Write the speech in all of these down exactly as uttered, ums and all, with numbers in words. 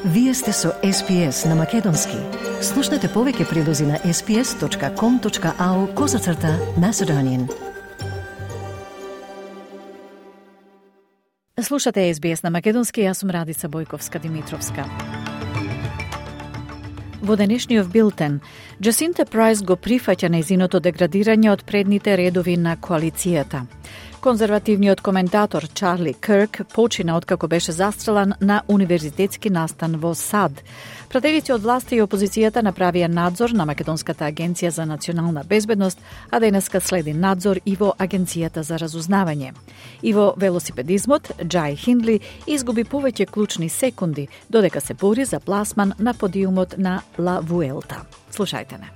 Вие сте со Ес Би Ес на Македонски. Слушнете повеќе прилози на ес би ес точка ком точка ау козацрта Macedonian. Слушате Ес Би Ес на Македонски, јас сум Радица Бојковска-Димитровска. Во денешниот билтен, Джасинта Прайс го прифаќа нејзиното деградирање од предните редови на коалицијата. Конзервативниот коментатор Чарли Кирк почина откако беше застрелан на универзитетски настан во САД. Пратеници од власта и опозицијата направија надзор на Македонската агенција за национална безбедност, а денеска следи надзор и во Агенцијата за разузнавање. И во велосипедизмот, Джај Хиндли изгуби повеќе клучни секунди, додека се бори за пласман на подиумот на Ла Вуелта. Слушајте не.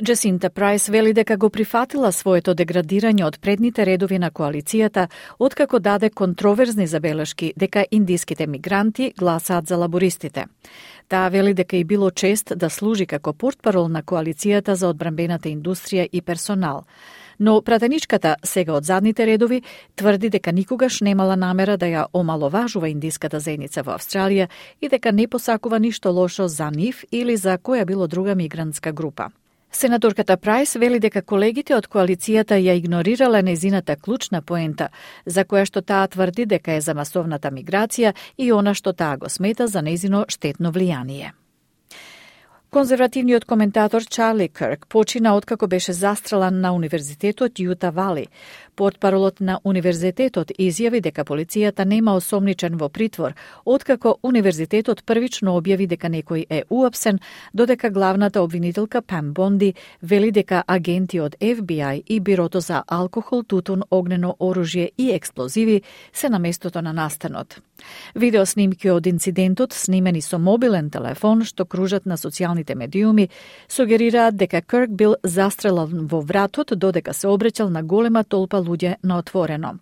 Джасинта Прайс вели дека го прифатила своето деградирање од предните редови на коалицијата, откако даде контроверзни забелешки дека индиските мигранти гласаат за лабористите. Таа вели дека и било чест да служи како портпарол на коалицијата за одбранбената индустрија и персонал. Но пратеничката, сега од задните редови, тврди дека никогаш немала намера да ја омаловажува индиската заедница во Австралија и дека не посакува ништо лошо за нив или за која било друга мигрантска група. Сенаторката Прайс вели дека колегите од коалицијата ја игнорирале нејзината клучна поента, за која што таа тврди дека е за масовната миграција и она што таа го смета за нејзино штетно влијание. Конзервативниот коментатор Чарли Кирк почина откако беше застрелан на Универзитетот Јута Вали. Портпаролот на универзитетот изјави дека полицијата нема осомничен во притвор, откако универзитетот првично објави дека некој е уапсен, додека главната обвинителка Пам Бонди вели дека агенти од Еф Би Ај и Бирото за алкохол, тутун, огнено оружје и експлозиви се на местото на настанот. Видеоснимки од инцидентот, снимени со мобилен телефон што кружат на социјалните медиуми, сугерираат дека Кирк бил застрелан во вратот додека се обреќал на голема толпа луѓе на отворено.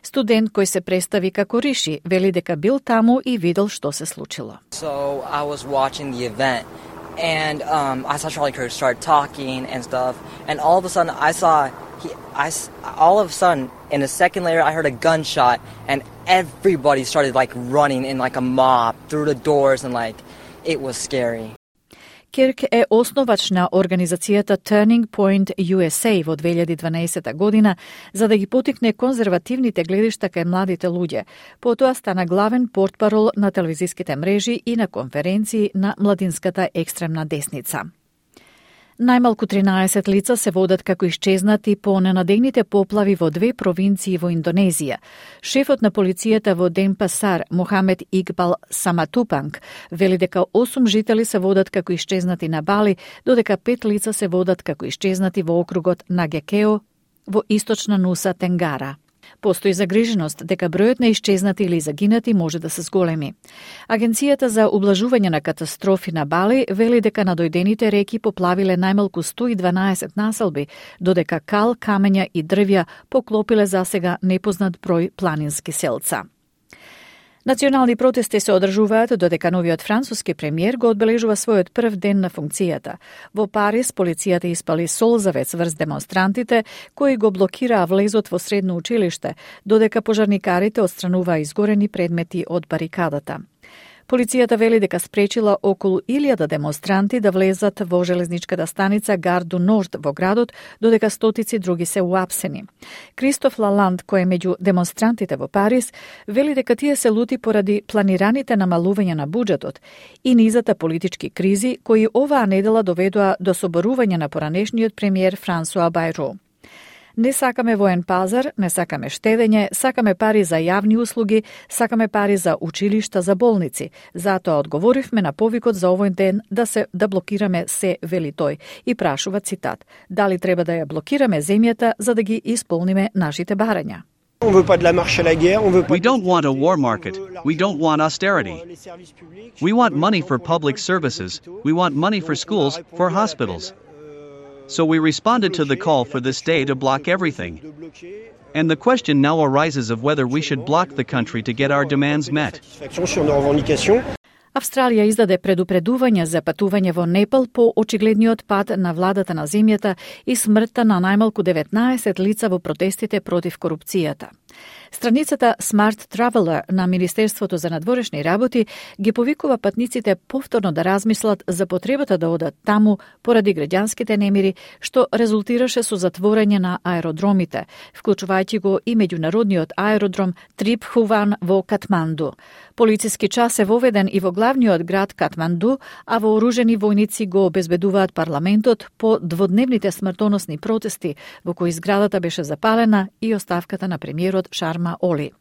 Студент кој се представи како Риши вели дека бил таму и видел што се случило. So I was watching the event and um, I saw Charlie Kirk start talking and stuff, and all of a sudden I saw he I all of a sudden in a second later I heard a gunshot and everybody started like running in like a mob through the doors and like it was scary. Кирк е основач на организацијата Turning Point Ю Ес Ей во две илјади и дванаесета година за да ги потикне конзервативните гледишта кај младите луѓе. Потоа стана главен портпарол на телевизиските мрежи и на конференции на младинската екстремна десница. Најмалку тринаесет лица се водат како исчезнати по ненадејните поплави во две провинции во Индонезија. Шефот на полицијата во Денпасар, Мохамед Игбал Саматупанг, вели дека осум жители се водат како исчезнати на Бали, додека пет лица се водат како исчезнати во округот Нагекео во источна Нуса Тенгара. Постои загриженост дека бројот на исчезнати или загинати може да се зголеми. Агенцијата за ублажување на катастрофи на Бали вели дека надојдените реки поплавиле најмалку сто и дванаесет населби, додека кал, камења и дрвја поклопиле засега непознат број планински селца. Национални протести се одржуваат додека новиот француски премиер го одбележува својот прв ден на функцијата. Во Париз полицијата испали солзавец врз демонстрантите кои го блокираа влезот во средно училиште, додека пожарникарите отстрануваа изгорени предмети од барикадата. Полицијата вели дека спречила околу илјада демонстранти да влезат во железничката станица Гар ду Норд во градот, додека стотици други се уапсени. Кристоф Лаланд, кој е меѓу демонстрантите во Париз, вели дека тие се лути поради планираните намалувања на буџетот и низата политички кризи кои оваа недела доведоа до соборување на поранешниот премиер Франсуа Бајро. Не сакаме воен пазар, не сакаме штедење, сакаме пари за јавни услуги, сакаме пари за училишта, за болници. Затоа одговоривме на повикот за овој ден да се да блокираме се, вели тој, и прашува цитат: дали треба да ја блокираме земјата за да ги исполниме нашите барања? We don't want a war market. We don't want austerity. We want money for public services. We want money for schools, for hospitals. So we responded to the call for this day to block everything. And the question now arises of whether we should block the country to get our demands met. Австралија издаде предупредување за патување во Непал по очигледниот пад на владата на земјата и смртта на најмалку деветнаесет лица во протестите против корупцијата. Страницата Smart Traveler на Министерството за надворешни работи ги повикува патниците повторно да размислат за потребата да одат таму поради граѓанските немири, што резултираше со затворање на аеродромите, вклучувајќи го и меѓународниот аеродром Трипхуван во Катманду. Полициски час е воведен и во главниот град Катманду, а вооружени војници го обезбедуваат парламентот по дводневните смртоносни протести во кои зградата беше запалена и оставката на премиерот Шарма Оли.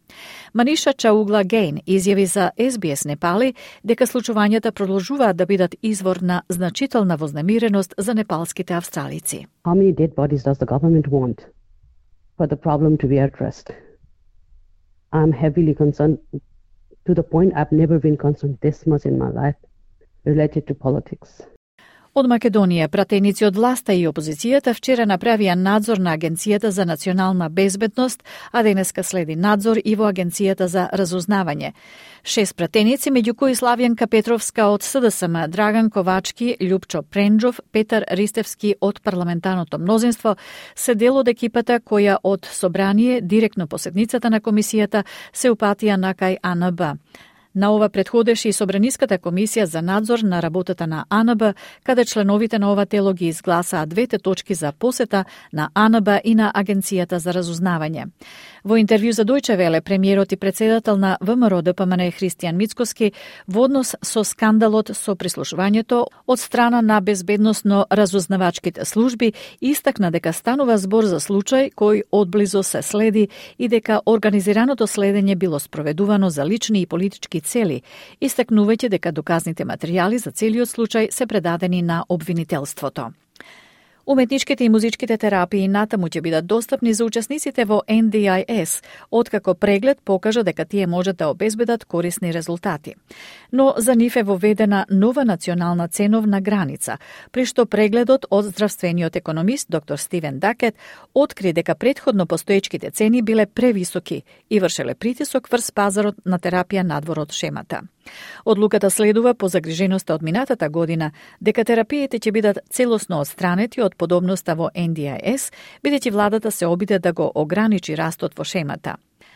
Маниша Чаугла Гейн изјави за Ес Би Ес Непали дека случувањата продолжуваат да бидат извор на значителна вознемиреност за непалските австралици. How many dead bodies does the government want for the problem to be addressed? I'm heavily concerned to the point I've never been concerned this much in my life related to politics. Од Македонија, пратеници од власта и опозицијата вчера направија надзор на Агенцијата за национална безбедност, а денеска следи надзор и во Агенцијата за разузнавање. Шест пратеници, меѓу кои Славјанка Петровска од С Д С М, Драган Ковачки, Љупчо Пренџов, Петар Ристевски од парламентарното мнозинство, се дел од екипата која од собрание директно по седницата на комисијата се упатија на кај А Н Б. На ова предходеше и Собраниската комисија за надзор на работата на А Н Б, каде членовите на ова тело ги изгласаа двете точки за посета на А Н Б и на Агенцијата за разузнавање. Во интервју за Дојче Веле, премиерот и председател на В М Р Д П М Н Христијан Мицкоски во однос со скандалот со прислушувањето од страна на безбедносно разузнавачките служби истакна дека станува збор за случај кој одблизо се следи и дека организираното следење било спроведувано за лични и политички цели, истакнувајќи дека доказните материјали за целиот случај се предадени на обвинителството. Уметничките и музичките терапии натаму ќе бидат достапни за учесниците во Н Д I S, откако преглед покажа дека тие можат да обезбедат корисни резултати. Но за нив е воведена нова национална ценовна граница, при што прегледот од здравствениот економист доктор Стивен Дакет откри дека претходно постоечките цени биле превисоки и вршеле притисок врз пазарот на терапија надвор од шемата. Одлуката следува по загриженоста од минатата година дека терапиите ќе бидат целосно отстранети од подобноста во Н Д I S, бидејќи владата се обиде да го ограничи растот во шемата.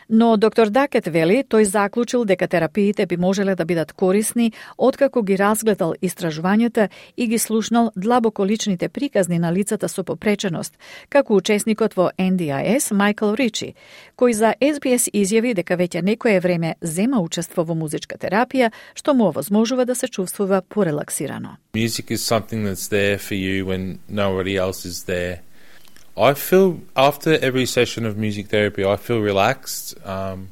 Но доктор Дакет вели, тој заклучил дека терапиите би можеле да бидат корисни откако ги разгледал истражувањата и ги слушнал длабоко личните приказни на лицата со попреченост, како учесникот во Н Д I S Майкл Ричи, кој за Ес Би Ес изјави дека веќе некое време зема учество во музичка терапија, што му овозможува да се чувствува порелаксирано. Music is something that's there for you when nobody else is there. I feel, after every session of music therapy, I feel relaxed. Um,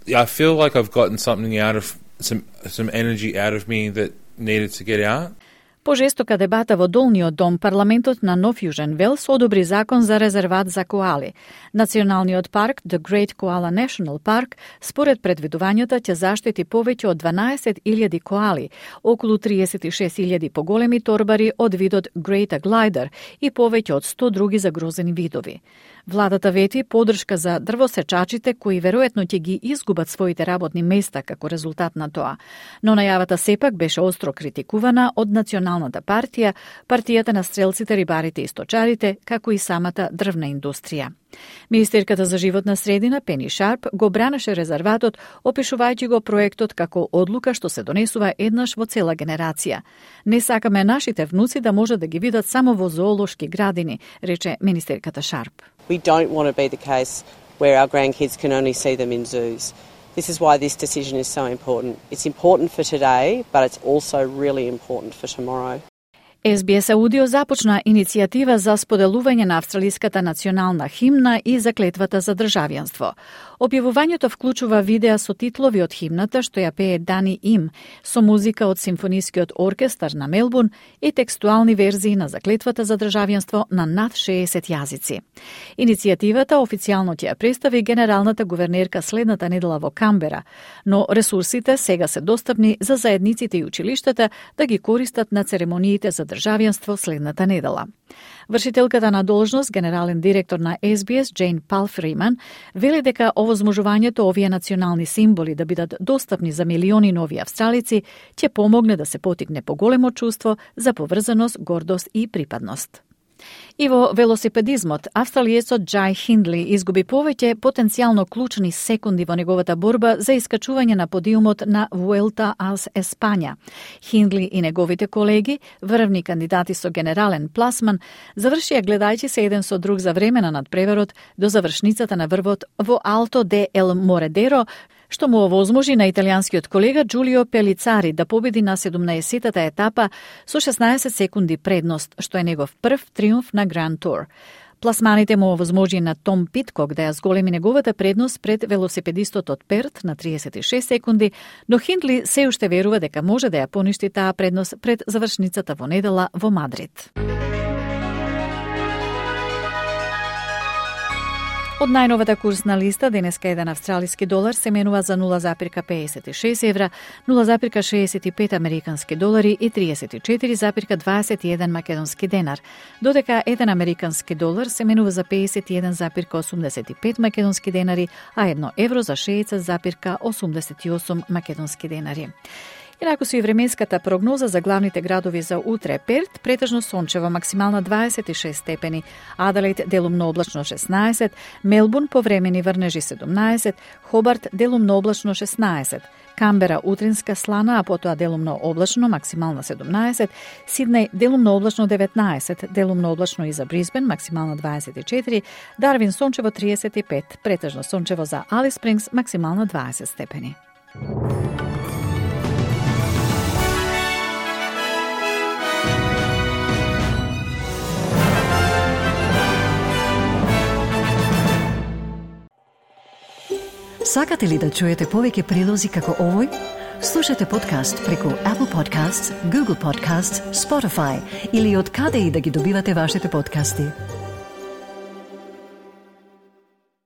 I feel like I've gotten something out of, some some energy out of me that needed to get out. По жестока дебата во Долниот дом, парламентот на Нов Јужен Велс одобри закон за резерват за коали. Националниот парк, The Great Koala National Park, според предвидувањата ќе заштити повеќе од дванаесет илјади коали, околу триесет и шест илјади поголеми торбари од видот Greater Glider и повеќе од сто други загрозени видови. Владата вети поддршка за дрвосечачите кои веројатно ќе ги изгубат своите работни места како резултат на тоа. Но најавата сепак беше остро критикувана од Националната партија, партијата на стрелците, рибарите и сточарите, како и самата дрвна индустрија. Министерката за животна средина Пени Шарп го бранеше резерватот, опишувајќи го проектот како одлука што се донесува еднаш во цела генерација. Не сакаме нашите внуци да можат да ги видат само во зоолошки градини, рече министерката Шарп. We don't want to be the case where our grandkids can only see them in zoos. This is why this decision is so important. It's important for today, but it's also really important for tomorrow. Ес Би Ес Аудио започна иницијатива за споделување на австралиската национална химна и заклетвата за државјанство. Објавувањето вклучува видеа со титлови од химната што ја пее Дани Им, со музика од Симфонискиот оркестар на Мелбурн и текстуални верзии на заклетвата за државјанство на над шеесет јазици. Иницијативата официјално ќе ја представи генералната гувернерка следната недела во Камбера, но ресурсите сега се достапни за заедниците и училиштата да ги користат на церемониите за државјанство следната недела. Вршителката на должност, генерален директор на Ес Би Ес, Джейн Палфриман, вели дека овозможувањето овие национални символи да бидат достапни за милиони нови австралици ќе помогне да се потикне поголемо чувство за поврзаност, гордост и припадност. И во велосипедизмот, австралиецот Джај Хиндли изгуби повеќе потенцијално клучни секунди во неговата борба за искачување на подиумот на Вуелта ас Еспања. Хиндли и неговите колеги, врвни кандидати со генерален пласман, завршија гледајќи се еден со друг за време на надпреверот до завршницата на врвот во Алто де ел Моредеро, што му овозможи на италијанскиот колега Џулио Пелицари да победи на седумнаесеттата етапа со шеснаесет секунди предност, што е негов прв триумф на Гранд Тур. Пласманите му овозможи на Том Питкок да ја зголеми неговата предност пред велосипедистот од Перт на триесет и шест секунди, но Хиндли се уште верува дека може да ја поништи таа предност пред завршницата во недела во Мадрид. Од најновата курсна листа, денеска еден австралиски долар се менува за нула запирка педесет и шест евра, нула запирка шеесет и пет американски долари и триесет и четири запирка дваесет и еден македонски денар, додека еден американски долар се менува за педесет и еден запирка осумдесет и пет македонски денари, а едно евро за шеесет запирка осумдесет и осум македонски денари. Инаку со и временската прогноза за главните градови за утре: Перт претежно сончево, максимална дваесет и шест степени, Аделаид делумно облачно шеснаесет, Мелбурн повремени врнежи седумнаесет, Хобарт делумно облачно шеснаесет, Камбера утринска слана, а потоа делумно облачно, максимална седумнаесет, Сиднеј делумно облачно деветнаесет, делумно облачно и за Брисбен, максимална дваесет и четири, Дарвин сончево триесет и пет, претежно сончево за Алис Спрингс, максимална дваесет степени. Сакате ли да чуете повеќе прилози како овој? Слушате подкаст преку Apple Podcasts, Google Podcasts, Spotify или од каде и да ги добивате вашите подкасти.